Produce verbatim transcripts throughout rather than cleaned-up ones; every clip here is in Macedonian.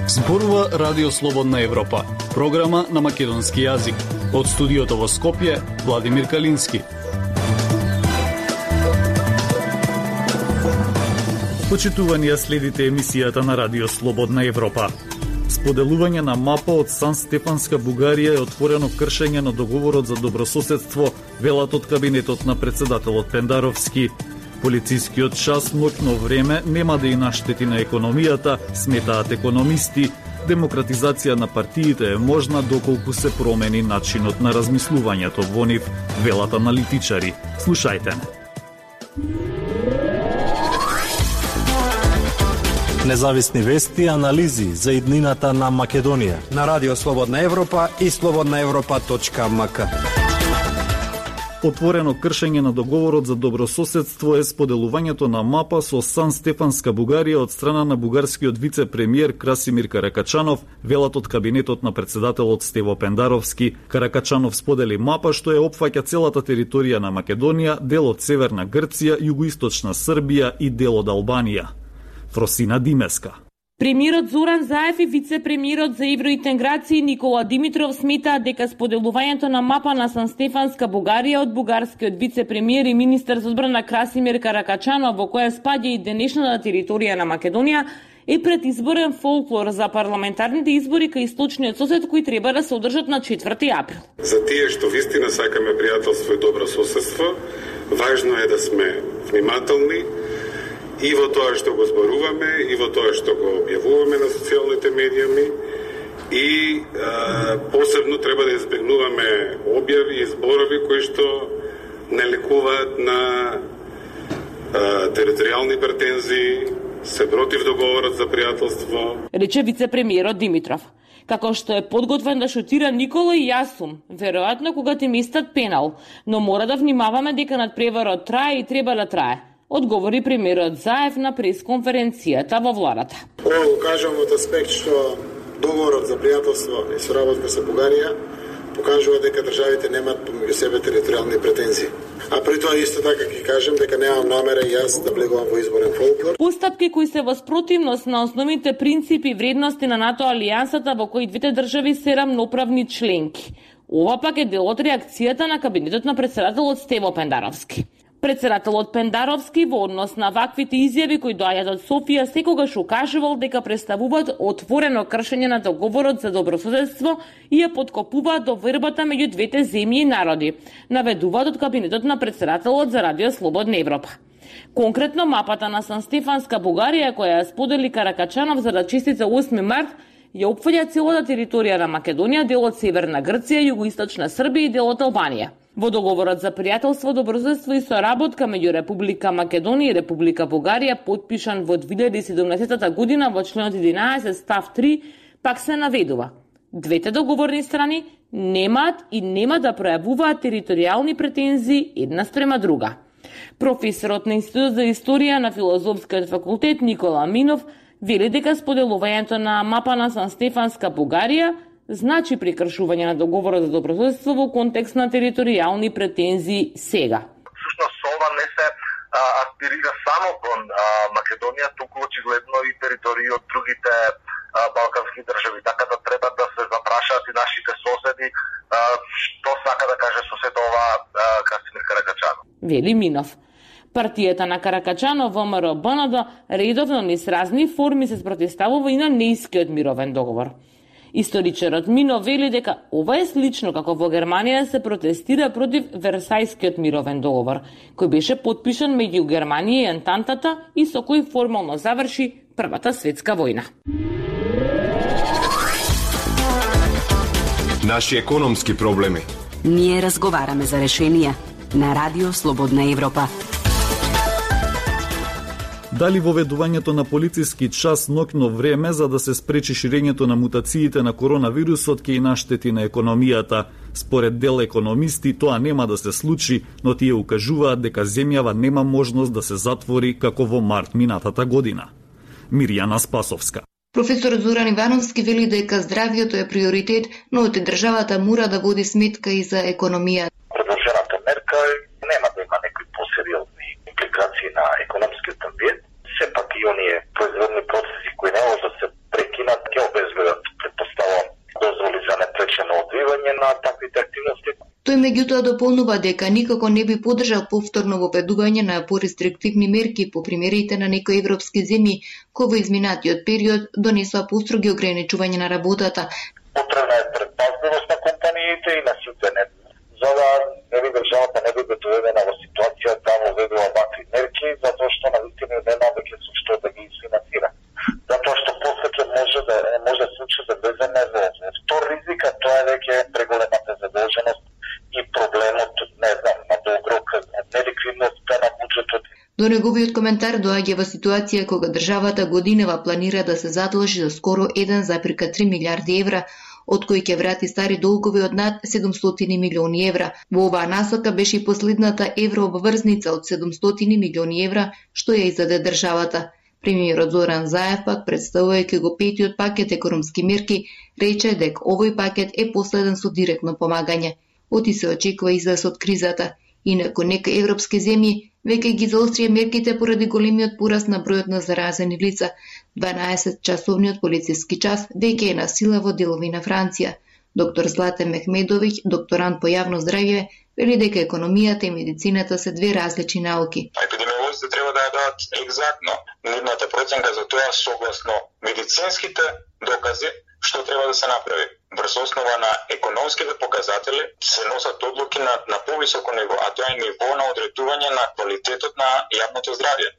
Зборува Радио Слободна Европа, програма на македонски јазик. Од студиото во Скопје, Владимир Калински. Почитувани, следите емисијата на Радио Слободна Европа. Споделување на мапа од Сан Стефанска Бугарија е отворено кршење на договорот за добрососедство, велат од кабинетот на председателот Пендаровски. Полицискиот час ноќно време нема да и наштети на економијата, сметаат економисти. Демократизација на партиите е можна доколку се промени начинот на размислувањето во нив, велат аналитичари. Слушајте. Независни вести и анализи за иднината на Македонија на Радио Слободна Европа и слободна европа точка ем ка. Отворено кршење на договорот за добрососедство е споделувањето на мапа со Сан Стефанска Бугарија од страна на бугарскиот вице-премиер Красимир Каракачанов, велат од кабинетот на председателот Стево Пендаровски. Каракачанов сподели мапа што е опфаќа целата територија на Македонија, дел од Северна Грција, југоисточна Србија и дел од Албанија. Фросина Димеска. Премиерот Зоран Заев и вице-премиерот за евроинтеграција Никола Димитров сметаат дека споделувањето на мапа на Сан Стефанска Бугарија од бугарскиот вице-премиер и министер за одбрана Красимир Каракачанов, во која спаѓа и денешната територија на Македонија, е предизборен фолклор за парламентарните избори кај источниот сосед кои треба да се одржат на четврти април. За тие што вистина сакаме пријателство и добро соседство, важно е да сме внимателни и во тоа што го зборуваме, и во тоа што го објавуваме на социјалните медиуми, и е, посебно треба да избегнуваме објави и зборови кои што не лекуваат на е, територијални претензии, се против договорот за пријателство. Рече вице-премиерот Димитров. Како што е подготвен да шутира Никола и јас сум, веројатно кога ти местат пенал, но мора да внимаваме дека надпреварот трае и треба да трае, одговори премиерот Заев на пресконференцијата во владата. Ова го кажувам од аспект што договорот за пријателство и соработка со Бугарија покажува дека државите немаат помеѓу себе територијални претензии. А при тоа исто така ќе кажем дека немам намера и јас да влегувам во изборен фолклор. Постапки кои се во спротивност на основните принципи и вредности на НАТО алијансата во кои двете држави се рамноправни членки. Ова пак е дел од реакцијата на кабинетот на председателот Стево Пендаровски. Председателот Пендаровски во однос на ваквите изјави кои доаѓаат од Софија секогаш укажувал дека представуваат отворено кршење на договорот за добрососедство и ја подкопуваат довербата меѓу двете земји и народи, наведуваат од кабинетот на председателот за Радио Слободна Европа. Конкретно мапата на Сан Стефанска Бугарија, која ја сподели Каракачанов за да честица осми март, ја опфаќа целата територија на Македонија, дел од Северна Грција, југоисточна Србија и дел од Албанија. Во договорот за пријателство, добрососедство и соработка меѓу Република Македонија и Република Бугарија, потпишан во две илјади и седумнаесета година во членот единаесет став три, пак се наведува: двете договорни страни немаат и нема да пројавуваат територијални претензии една спрема друга. Професорот на Институт за историја на Филозофскиот факултет Никола Минов вели дека споделувањето на мапа на Сан Стефанска Бугарија значи прекршување на договорот за добрососедство во контекст на територијални претензии сега. Всушност ова не се а, аспирира само кон а, Македонија, туку очигледно и територии од другите а, балкански држави, така да треба да се запрашаат и нашите соседи а, што сака да каже соседова Красимир Каракачанов. Вели Минов. Партијата на Каракачанов во МРБНД редовно низ разни форми се спротивставува и на неискиот мировен договор. Историчарот Мино вели дека ова е слично како во Германија се протестира против Версајскиот мировен договор, кој беше потпишан меѓу Германија и Ентантата и со кој формално заврши Првата светска војна. Наши економски проблеми. Ние разговараме за решенија на Радио Слободна Европа. Дали воведувањето на полициски час ноќно време за да се спречи ширењето на мутациите на коронавирусот ќе и наштети на економијата? Според дел економисти тоа нема да се случи, но тие укажуваат дека земјава нема можност да се затвори како во март минатата година. Мирјана Спасовска. Професор Зоран Ивановски вели дека здравието е приоритет, но од државата мора да води сметка и за економија. Предложената мерка нема да има некои и оние производни процеси кои не може да се прекинат, ќе обезбедат, предпоставам, дозволи за непречено одвивање на таквите активности. Тој меѓутоа дополнува дека никако не би поддржал повторно воведување на порестриктивни мерки по примерите на некои европски земји кои во изминатиот период донесоа построги ограничување на работата. Потребна е предпазливост на компаниите и на сите не. За да не би државата не биде доведена во ситуација да воведува вакви мерки, затоа што навистина нема веќе со што да ги финансира. Затоа што после ќе може да може да се случи да влеземе во втор ризик, а тоа е веќе преголемата задолженост и проблемот, не знам, на долгорок, неликвидноста на буџетот. До неговиот коментар доаѓа во ситуација кога државата годинава планира да се задолжи за скоро еден зарез три милиарди евра, од кои ќе врати стари долгови од над седумстотини милиони евра. Во оваа насока беше и последната еврообврзница од седумстотини милиони евра, што ја издаде државата. Премиерот Зоран Заев пак, представувајќи го петиот пакет економски мерки, рече дека овој пакет е последен со директно помагање. Оти се очекува излез од кризата. Инаку некои европски земји веќе ги заострија мерките поради големиот пораст на бројот на заразени лица. дванаесетчасовниот полициски час веќе е на сила во делови на Франција. Доктор Златен Мехмедовиќ, докторант по јавно здравје, вели дека економијата и медицината се две различни науки. Епидемиолозите треба да ја дадат екзактно нивната проценка за тоа согласно медицинските докази што треба да се направи. Врз основа на економските показатели се носат одлуки на, на повисоко ниво, а тоа е ниво на одредување на квалитетот на јавното здравје.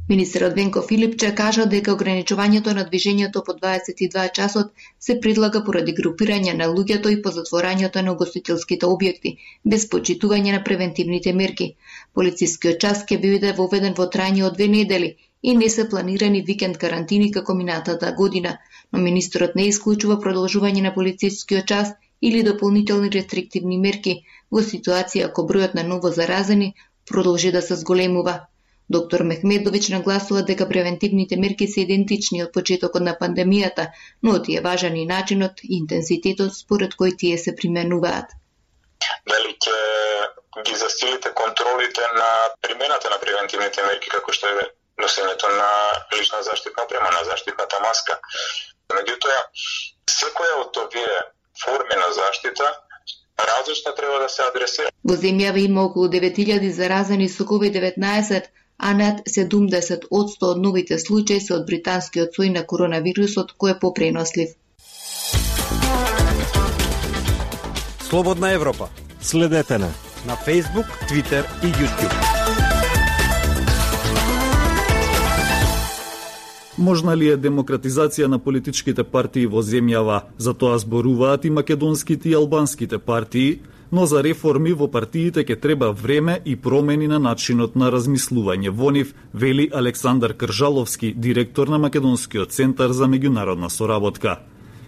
Министерот Венко Филипче кажа дека ограничувањето на движењето по дваесет и два часот се предлага поради групирање на луѓето и по затворањето на угостителските објекти, без почитување на превентивните мерки. Полицискиот час ќе биде воведен во трајање од две недели и не се планирани викенд карантини како минатата година, но министерот не исклучува продолжување на полицискиот час или дополнителни рестриктивни мерки во ситуација ако бројот на ново заразени продолжи да се зголемува. Доктор Мехмедовиќ нагласува дека превентивните мерки се идентични од почетокот на пандемијата, но ти е важен и начинот и интензитетот според кој тие се применуваат. Дали ќе ги засилите контролите на примената на превентивните мерки, како што е носењето на лична заштитна опрема, на заштитната маска. Меѓутоа, секоја од овие форми на заштита различно треба да се адресира. Во земјава има околу девет илјади заразени со ковид деветнаесет, а над седумдесет одсто од новите случаи се од британскиот сој на коронавирусот кој е попренослив. Слободна Европа. Следете на на Facebook, Twitter и YouTube. Можна ли е демократизација на политичките партии во земјава? За тоа зборуваат и македонските и албанските партии, но за реформи во партиите ќе треба време и промени на начинот на размислување во нив, вели Александар Кржаловски, директор на Македонскиот центар за меѓународна соработка.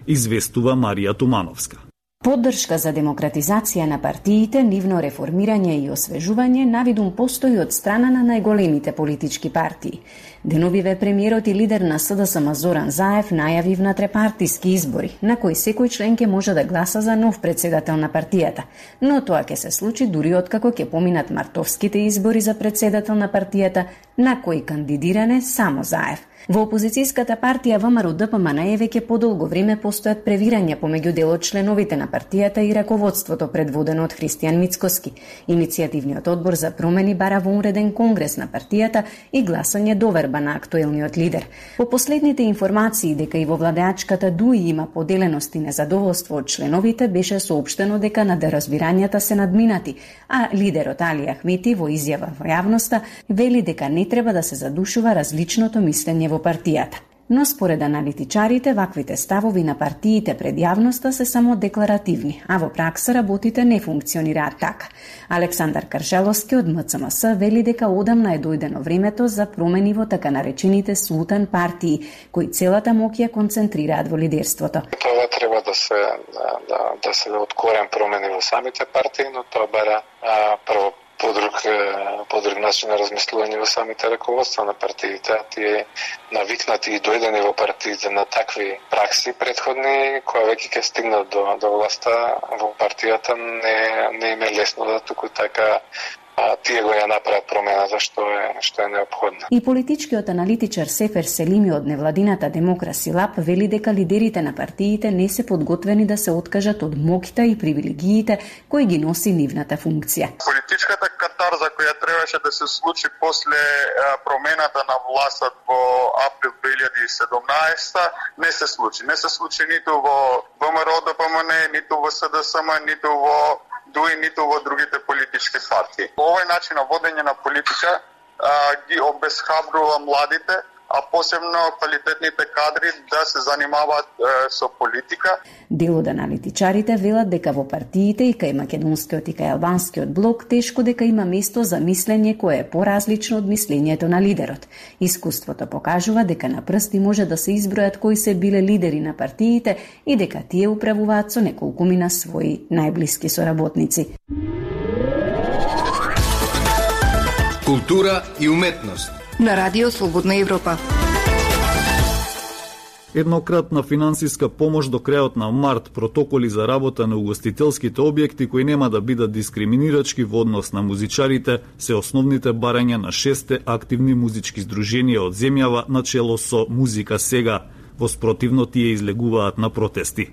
Известува Марија Тумановска. Поддршка за демократизација на партиите, нивно реформирање и освежување навидум постои од страна на најголемите политички партии. Деновиве премиерот и лидер на СДСМ Зоран Заев најави внатре-партиски избори, на кои секој член ќе може да гласа за нов председател на партијата, но тоа ќе се случи дури откако ќе поминат мартовските избори за председател на партијата, на кои кандидиране само Заев. Во опозицијската партија ВМРО-ДПМН веќе подолго време постојат превирања помеѓу дел од членовите на партијата и раководството предводено од Христијан Мицкоски. Иницијативниот одбор за промени бара во уреден конгрес на партијата и гласање доверба на актуелниот лидер. По последните информации дека и во владеачката ДУИ има поделеност и незадоволство од членовите, беше соопштено дека надеразбирањата се надминати, а лидерот Али Ахмети во изјава во јавноста вели дека не треба да се задушува различното мислење во партијата. Но според аналитичарите, ваквите ставови на партиите пред јавноста се само декларативни, а во пракса работите не функционираат така. Александар Кржаловски од МЦМС вели дека одамна е дојдено времето за промени во така наречените султан партии, кои целата моќ ја концентрираат во лидерството. Тоа треба да се да, да, да се откорен промени во самите партии, но тоа бара а, прво подруг, подруг начин на размислување во самите раководства на партиите. Тие навикнати и дојдени во партиите на такви пракси предходни, кои веќе ќе стигнат до, до власта во партијата, не, не им е лесно да туку така а, тие го ја направат промената што е што е неопходна. И политичкиот аналитичар Сефер Селими од невладината Демокраси Лаб вели дека лидерите на партиите не се подготвени да се откажат од моќта и привилегиите кои ги носи нивната функција. Политичката катарза која требаше да се случи после промената на властот во април две илјади и седумнаесета не се случи. Не се случи ниту во ВМРО Д П М Н, ниту во С Д С М, ниту во ДУ И, ниту во другите политички партии. Овој начин на водење на политика а, ги обесхабрува младите, а посебно квалитетните кадри да се занимаваат е, со политика. Дел од аналитичарите велат дека во партиите и кај македонскиот и кај албанскиот блок тешко дека има место за мислење кое е поразлично од мислењето на лидерот. Искуството покажува дека на прсти може да се избројат кои се биле лидери на партиите и дека тие управуваат со неколкумина своји најблиски соработници. Култура и уметност на Радио Слободна Европа. Еднократна финансиска помош до крајот на март, протоколи за работа на угостителските објекти кои нема да бидат дискриминирачки во однос на музичарите, се основните барања на шесте активни музички здруженија од земјава на чело со Музика сега. Во спротивно тие излегуваат на протести.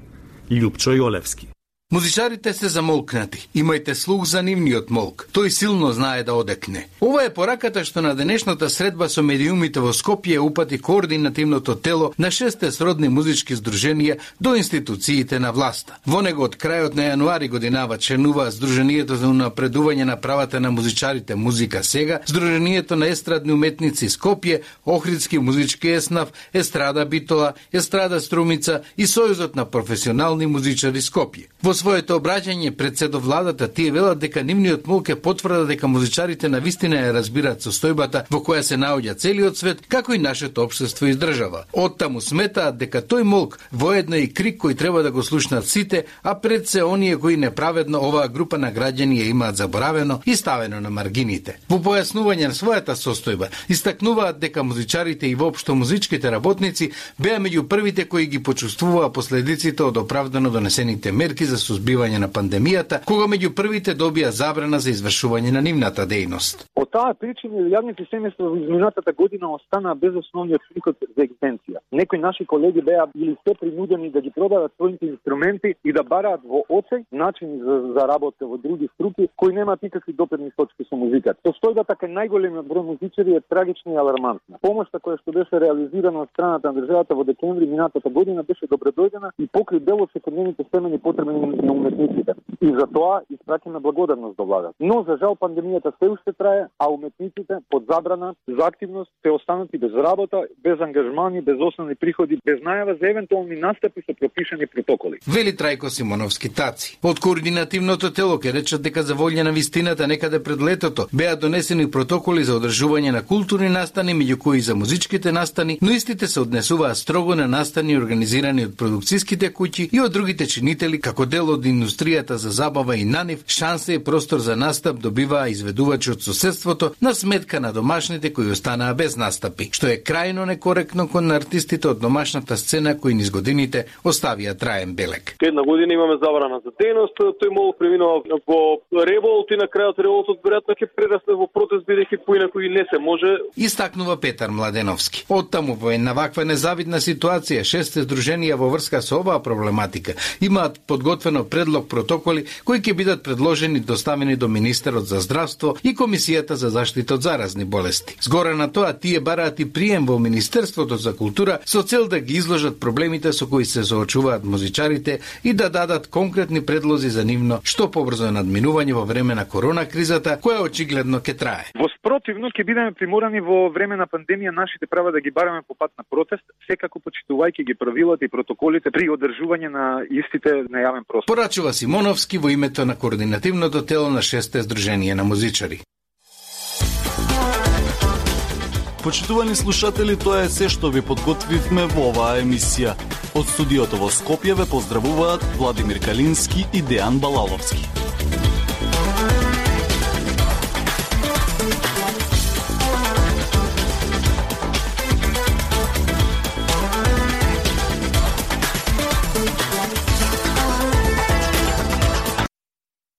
Љупчо Јолевски. Музичарите се замолкнати. Имајте слух за нивниот молк. Тој силно знае да одекне. Ова е пораката што на денешната средба со медиумите во Скопје упати координативното тело на шесте сродни музички здруженија до институциите на власта. Во него од крајот на јануари годинава членува Здруженијето за унапредување на правата на музичарите Музика сега, Здруженијето на естрадни уметници Скопје, Охридски музички еснав, Естрада Битола, Естрада Струмица и Сојузот на професионални музичари Скопје. Во своето обраќање пред седовладата тие велат дека нивниот молк е потврда дека музичарите на вистина ја разбираат состојбата во која се наоѓа целиот свет, како и нашето општество и држава. Оттаму сметаат дека тој молк воедно и крик кој треба да го слушнат сите, а пред се оние кои неправедно оваа група на граѓани ја имаат заборавено и ставено на маргините. Во појаснување на својата состојба, истакнуваат дека музичарите и воопшто музичките работници беа меѓу првите кои ги почувствуваа последиците од оправдано донесените мерки за сузбивање на пандемијата, кога меѓу првите добија забрана за извршување на нивната дејност. Од таа причина јавните семејства во изминатата година останаа без основниот приход за екзистенција. Некои наши колеги беа били се принудени да ги продадат своите инструменти и да бараат во оцеј начини за, за работа во други струки кои немаат никакви допирни точки со музиката. Состојбата кај најголемиот број музичари е трагична и алармантна. Помошта која што беше реализирана од страната на државата во декември минатата година беше добредојдена и покри дел од секојдневните семени потреби на уметниците. И за тоа испраќаме благодарност до владата. Но за жал пандемијата се уште трае, а уметниците под забрана за активност се останати без работа, без ангажмани, без основни приходи, без најава за евентуални настапи со пропишани протоколи. Вели Трајко Симоновски Таци. Од координативното тело ке речат дека за волја на вистината некаде пред летото беа донесени протоколи за одржување на културни настани, меѓу кои за музичките настани, но истите се однесуваат строго на настани организирани од продукцијските куќи и од другите чинители како дел од индустријата за забава и на нив, шанса и простор за настап добиваа изведувачи од соседството на сметка на домашните кои останаа без настапи, што е крајно некоректно кон артистите од домашната сцена кои низ годините оставија траен белег. Една година имаме забрана за дејност, тој молк преминува во револт и на крајот револтот веројатно ќе прерасне во протест бидејќи поинаку и не се може. Истакнува Петар Младеновски. Оттаму во една ваква незавидна ситуација шесте здруженија во врска со оваа проблематика имаат подготвено предлог протоколи кои ќе бидат предложени и доставени до Министерот за здравство и Комисијата за заштита од заразни болести. Згора на тоа тие бараат и прием во Министерството за култура со цел да ги изложат проблемите со кои се соочуваат музичарите и да дадат конкретни предлози за нивно што побрзо надминување во време на корона кризата, која очигледно ќе трае. Во спротивно ќе бидеме приморани во време на пандемија нашите права да ги бараме по пат на протест, секако почитувајќи ги правилата и протоколите при одржување на истите на јавен простор. Порачува Симоновски во името на координативното тело на шесте здруженија на музичари. Почитувани слушатели, тоа е се што ви подготвивме во оваа емисија. Од студиото во Скопје ве поздравуваат Владимир Калински и Дејан Балаловски.